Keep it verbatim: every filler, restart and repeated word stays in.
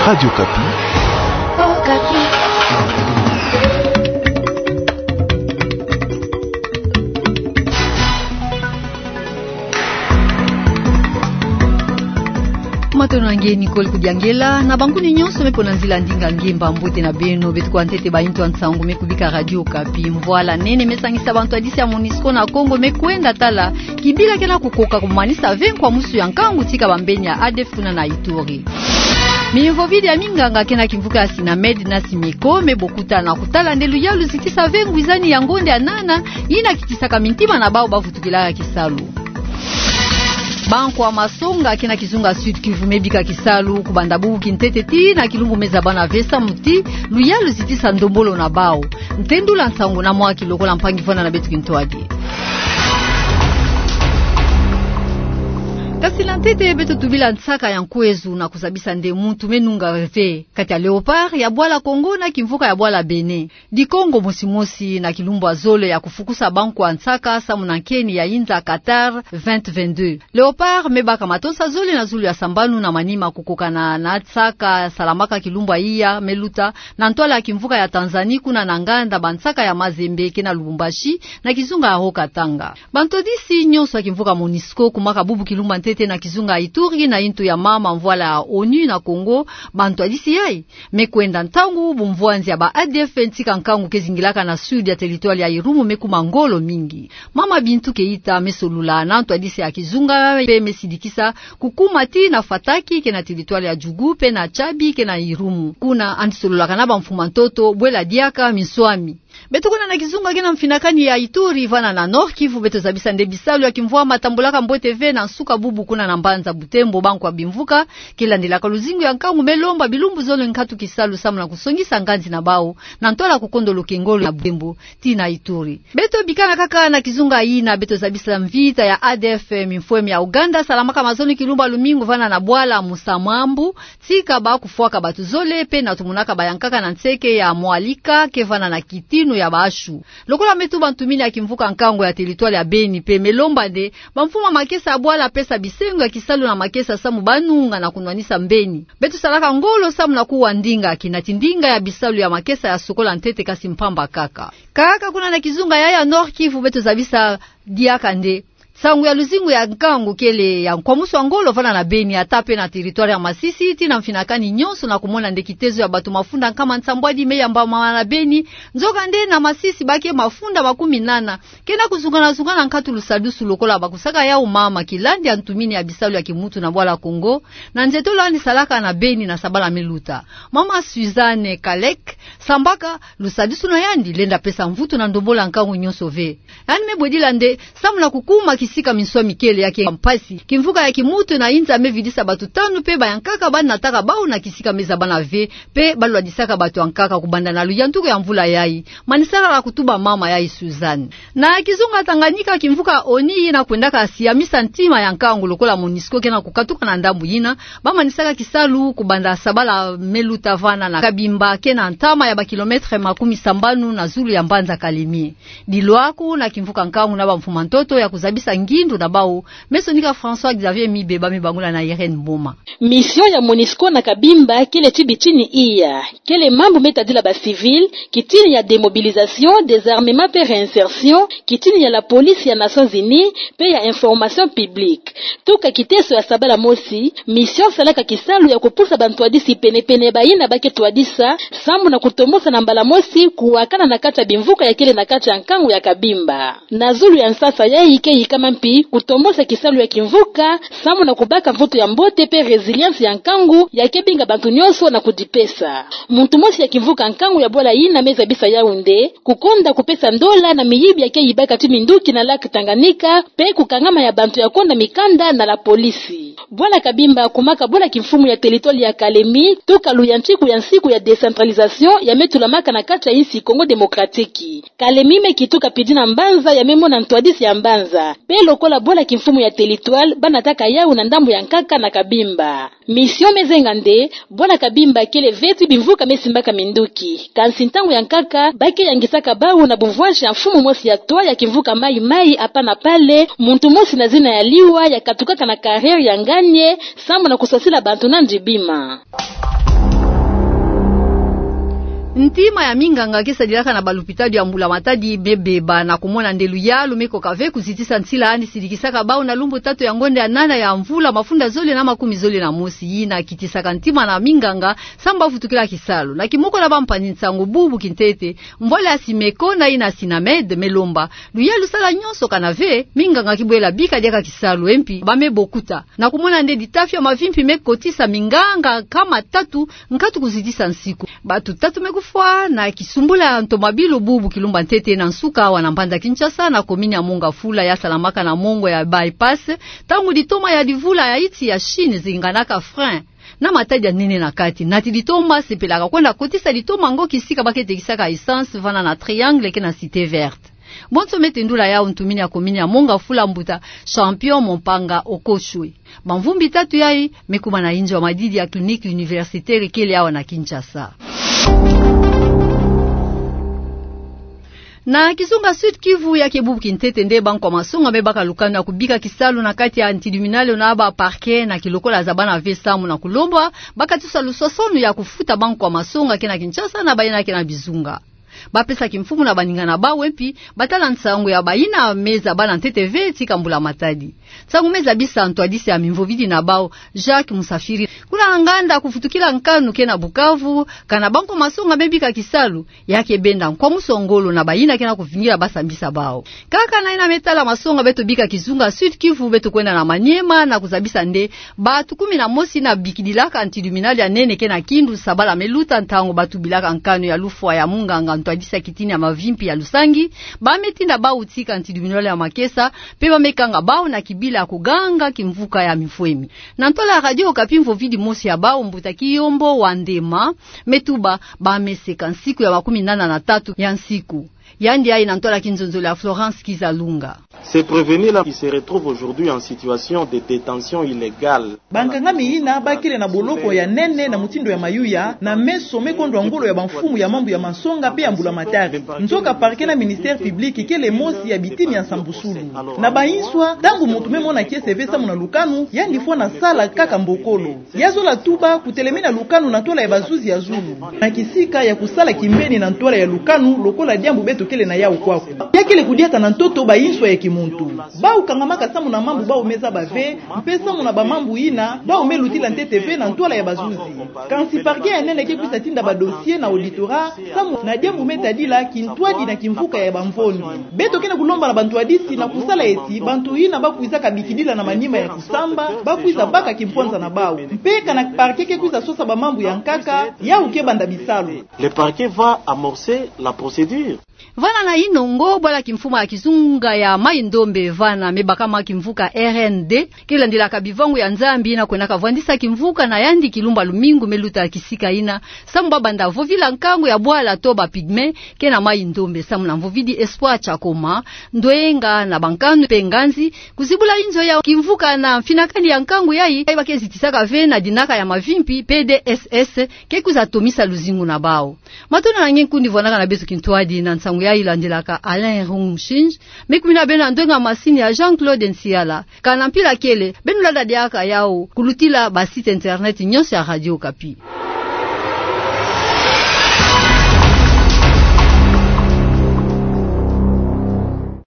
Radio Okapi. Okapi. Matondo na nge Nicole Kudiangela, na bankuni nyonso me pona nzila ndinga nge, mba mbote na beno. Beto kuwa ntete ba intu ya nsangu me kubika Radio Okapi. Mvwala nene me sangisa bantwadisi ya MONUSCO na Kongo me kwenda tala kibila kena kukoka kumanisa ve nkwamusu ya nkangu tika bambeni ya ADF kuna na Ituri. Mimvovidi ya minganga kena kimvuka ya SYNAMED na SYMICO me bokuta na kutala nde luyalu zitisa ve ngwizani ya ngonde ya nana, yina kitisaka mintima na bawu bavutukilaka kisalu. Bankwa masonga kena kizunga Sud-Kivu me bika kisalu kubanda bubu kintete tii na kilumbu me zabana ve samu ti luyalu zitisa ndombolo na bawu. Ntendula nsangu na mwa kilokola mpangi vwanda na beto kintwadi. Kasi na ntete beto tubila nsaka ya nkwezu na kuzabisa nde muntu me nunga ve kati ya Léopard ya bwala Congo na kimvuka ya bwala Bénin. Di Congo mosi mosi na kilumbu ya zole ya kufukusa bankwa nsaka samu na nkeni ya inza Qatar vingt vingt-deux. Léopard me baka matonsa zole na zulu ya sambanu na manima kukokana na nsaka salamaka kilumbu ya iya me luta na ntwala ya kimvuka ya Tanzanie kuna na nganda bansaka ya Mazembe kena Lubumbashi na kizunga ya Haut-Katanga. Bantwadisi nyonso ya kimvuka MONUSCO kumaka bubu kilumbu ya ntete na kizunga ya Ituri na intu ya mama mvwala ya ONU na Congo. Bantwadisi yayi me kwenda ntangu bumvwanzi ya ba ADF ntika nkangu ke zingilaka na sud ya territoire ya Irumu me kuma ngolo mingi. Mama Bintou Keita me solula na ntwadisi ya kizunga pe me sidikisa kukuma tii na Fataki kena territoire ya Djugu pe na Tchabi kena Irumu. Kuna yandi sololaka na bamfuma ntoto bwela diaka minswami. Beto kwenda na kizunga kena mfinakani ya Ituri vana na Nord-Kivu, beto zabisa nde bisalu ya kimvwama tambulaka mbote ve na nsuka bubu kuna na mbanza Butembo. Bankwa bimvuka ke landelaka luzingu ya nkangu me lomba bilumbu zole nkatu kisalu samu na kusongisa nganzi na bawu na ntwala kukondolo kengolo na Butembo tii na Ituri. Beto bikana kaka na kizunga yina, beto zabisa mvita ya ADF mimfweme ya Ouganda salamaka mazono kilumbu ya lumingu vana na bwala Musamambu, tika ba kufwaka batu zole pe na tumunaka bayankaka na nseke ya Mwalika ke vana na kitinu ya bashu. Lokola me tuba, ntumini ya kimvuka nkangu ya territoire ya Beni pe me lomba nde bamfuma makesa ya bwala pesa bisengo ya kisalu na makesa samu ba nunga na kunwanisa mbeni. Beto salaka ngolo samu na kuwa ndinga, kina ti ndinga ya bisalu ya makesa ya sokola ntete kasi mpamba kaka. Kaka kuna na kizunga yayi ya Nord-Kivu, beto zabisa diaka nde nsangu ya luzingu ya nkangu kele ya nkwamusu ya ngolo vana na Beni, ata pe na territoire ya Masisi, tii na mfinakani nyonso na kumona nde kitezo ya batu mafunda nkama nsambwadi me yambama na Beni. Nzokande na Masisi ba ke mafunda makumi nana kena kuzungana-zungana nkatu lusadusu lokola ba kusaka yawu mama kilandi ya ntumini ya bisalu ya kimutu na bwala Congo, na nzietolo yandi salaka na Beni na sabala me luta. Mama Suzanne Kalek sambaka lusadusu na yandi lenda pesa mvutu na ndombolo ya nkangu nyonso ve. Yandi me bwedila nde samu na kukuma kisika minswami kele ya ke mpasi, kimvuka ya kimutu na inza me vidisa batu tanu pe bayankaka ba nataka bawu na kisika me zabana ve, pe ba lwadisaka batu yankaka kubanda na luyantuku ya mvula yayi. Manisaka la kutuba mama yayi Suzanne. Na kizunga Tanganyika, kimvuka ONU yina kwendaka siamisa ntima ya nkangu lokola MONUSCO kena kukatuka na ndambu yina, ba manisaka kisalu kubanda sabala me luta vana na Kabimba kena ntama ya ba kilomètre makumi sambanu na zulu ya mbanza Kalemie. Dilwaku na kimvuka nkangu na bamfuma ntoto ya kuzabisa ngindu na bawu, me sonika François Xavier Mibe, ba me bangula na Irène Mboma. Mission ya MONUSCO na Kabimba kele ti bitini iya, kele mambu me tadila ba civils, kitini ya démobilisation, désarmement pe réinsertion, kitini ya la police ya Nations Unies, pe ya information publique. Tuka kiteso ya sabala mosi, mission salaka kisalu ya kupusa bantwadisi pene-pene bayina ba ke twadisa, samu na kutomosa na mbala mosi kuwakana na kati ya bimvuka ya kele na kati ya nkangu ya Kabimba. Na zulu ya nsasa yayi ke yikama mpi kutomosa kisalu ya kimvuka, samu na kubaka mvutu ya mbote pe résilience ya nkangu ya ke binga bantu nyonso na kudipesa. Muntu mosi ya kimvuka nkangu ya bwala yina me zabisa yawu nde kukonda kupesa ndola na miyibi ya ke yibaka ti minduki na lac Tanganyika, pe kukangama ya bantu ya konda mikanda na la police. Bwala Kabimba kumaka bwala kimfumu ya territoire ya Kalemie, tuka luyantiku ya nsiku ya décentralisation ya me tulamaka na kati ya insi Congo Démocratique. Kalemie me kituka pidi na mbanza ya me mona ntwadisi ya mbanza. Pe lokola bwala kimfumu ya territoire, ba nataka yawu na ndambu ya nkaka na Kabimba. Mission me zenga nde bwala Kabimba kele ve ti bimvuka me simbaka minduki. Kansi ntangu ya nkaka, ba ke yangisaka bawu na bumvwansi ya mfumu mosi ya twa ya kimvuka Maï-Maï, Apana Pale, muntu mosi na zina ya Liwa, ya katukaka na carrière ya Nganie, samu na kusosila bantu na ndibima. Ntima ya minganga ke sadilaka na balupitalu ya mbula matadi me beba na kumona nde luyalu me koka ve kuzitisa nsila yandi sidikisaka bau na lumbu tatu ya ngonde ya nana ya mvula mafunda zole na makumi zole na mosi, yina kitisaka ntima na minganga samu bavutukila kisalu. Na kimoko na bampangi-nsangu bubu kintete, mvwala ya Simeko na yina Sinamed me lomba luyalu sala nyonso kana ve minganga kibwela bika diaka kisalu, e mpi ba me bokuta na kumona nde ditafio ya mavimpi me kotisa minganga nkama tatu nkatu kuzitisa nsiku. Batu tatu me kufwa na kisumbula ya ntomabilu bubu kilumba ntete na nsuka awa na mbanza Kinshasa, na komini ya Mont-Ngafula ya salamaka na mongo ya bypass, ntangu ditoma ya divula ya iti ya Chine zinganaka frein na matadi ya nene na kati. Nati ditoma sepelaka kwenda kotisa ditoma ngo kisika ba ke tekisaka essence, vana na Triangle ke na Cité Verte. Bonso me tendula yau ntumini ya komini ya Mont-Ngafula, mbuta Champion Mompanga Okochwe. Bamvumbi tatu yayi me kuma na inzo ya madidi ya Clinique Universitaire kele awa na Kinshasa. Na kizunga Sud-Kivu, ya ke bubu kintete nde bankwa masonga me baka lukanu ya kubika kisalu na kati ya ntidu-minale na ba parquet na kilokola zabana ve samu na kulomba bakatusa luswaswanu ya kufuta bankwa masonga ke na Kinshasa na bayina ke na bizunga. Bapesa kimfumu na baninga na bau, e mpi batala nsangu ya bayina me zabana ntete ve tika mbula matadi. Nsangu me zabisa ntwadisi ya mimvovidi na bau, Jacques Musafiri, kuna nganda kufutukila nkanu ke na Bukavu, kana bankwa masonga me bika kisalu, ya ke benda nkwamusu ngolo na bayina ke na kuvingila basambisa bau. Kaka na yina me tala masonga, beto bika kizunga Sud-Kivu beto kwenda na Maniema na kuzabisa nde batu kumi na mosi yina bikidilaka ntidu-minale ya nene ke na Kindu sabala me luta, ntangu batubilaka nkanu ya lufwa ya munganga ntwadisi ya kitini ya mavimpi ya lusangi, ba me tinda bau tika ntidu-minale ya makesa, mpe ba me kanga bau na kibila ya kuganga kimvuka ya mifwemi. Na ntwala ya Radio Okapi, mvovidi mosi ya bau, mbuta Kiyombo Wandema, me tuba ba me seka nsiku ya makumi nana na tatu ya nsiku. Yandi yayi na ntwala ya kinzonzolo ya Florence Kizalunga. Ces prévenus-là qui se retrouvent aujourd'hui en situation de détention illégale. Bankangami yina bakele na boloko ya nene na mutindu ya mayuya, na meso me kondwa ngolo ya bamfumu ya mambu ya masonga mpe ya mbulamatari. Nzoka parquet na ministère public kele mosi ya bitini ya nsambusulu. Na bayinswa, ntangu muntu me mona kiese ve samu na lukanu, yandi fwana sala kaka mbokolo. Ya zola tuba kutelemina lukanu na ntwala ya bazuzi ya zulu, na kisika ya kusala kimbeni na ntwala ya lukanu lokola diambu beto kele na yau kwaku. Ya kele kudiata na ntoto bayinswa ya kimuntu. Bau kangamaka samu na mambu bau me zaba ve, mpe samu na bamambu yina bau me lutila ntete ve na ntwala ya bazuzi. Kansi parquet ya nene ke kwisa tinda badossier na auditorat samu na diambu me tadila kintwadi na kimvuka ya bamvondi. Beto ke na kulomba na bantwadisi na kusala eti bantu yina bakwizaka bikidila na manima ya kusamba bakwiza baka kimpwanza na bau. Mpe kana parquet ke kwiza sosa bamambu ya nkaka, yau ke banda bisalu. Le parquet va amorcer la procédure. Vana na yinongo, bwala kimfumu ya kizunga ya Maï-Ndombe vana me bakama kimvuka R N D, ke landilaka bivangu ya Nzambi yina kwendaka vwandisa kimvuka na yandi kilumba lumingu me luta kisika yina, samu ba banda vovila nkangu ya bwala to ba pygmée ke na Maï-Ndombe, samu na mvovidi Espoir Chakoma, ndwenga na bankanu mpe nganzi, kuzibula yinzo ya kimvuka na mfinakani ya nkangu yayi, yayi ba ke zitisaka ve na dinaka ya mavimpi, P D S S ke kwiza tomisa luzingu na bau. Matondo na nge nkundi vwanaka na beto kintwadi na nsangu yayi landilaka Alain Rungshinj, me kumina beno na ndwenga masini ya Jean-Claude Nsiala. Kana mpila kele, beno landa diaka yau kulutila ba site internet nyonso ya Radio Okapi.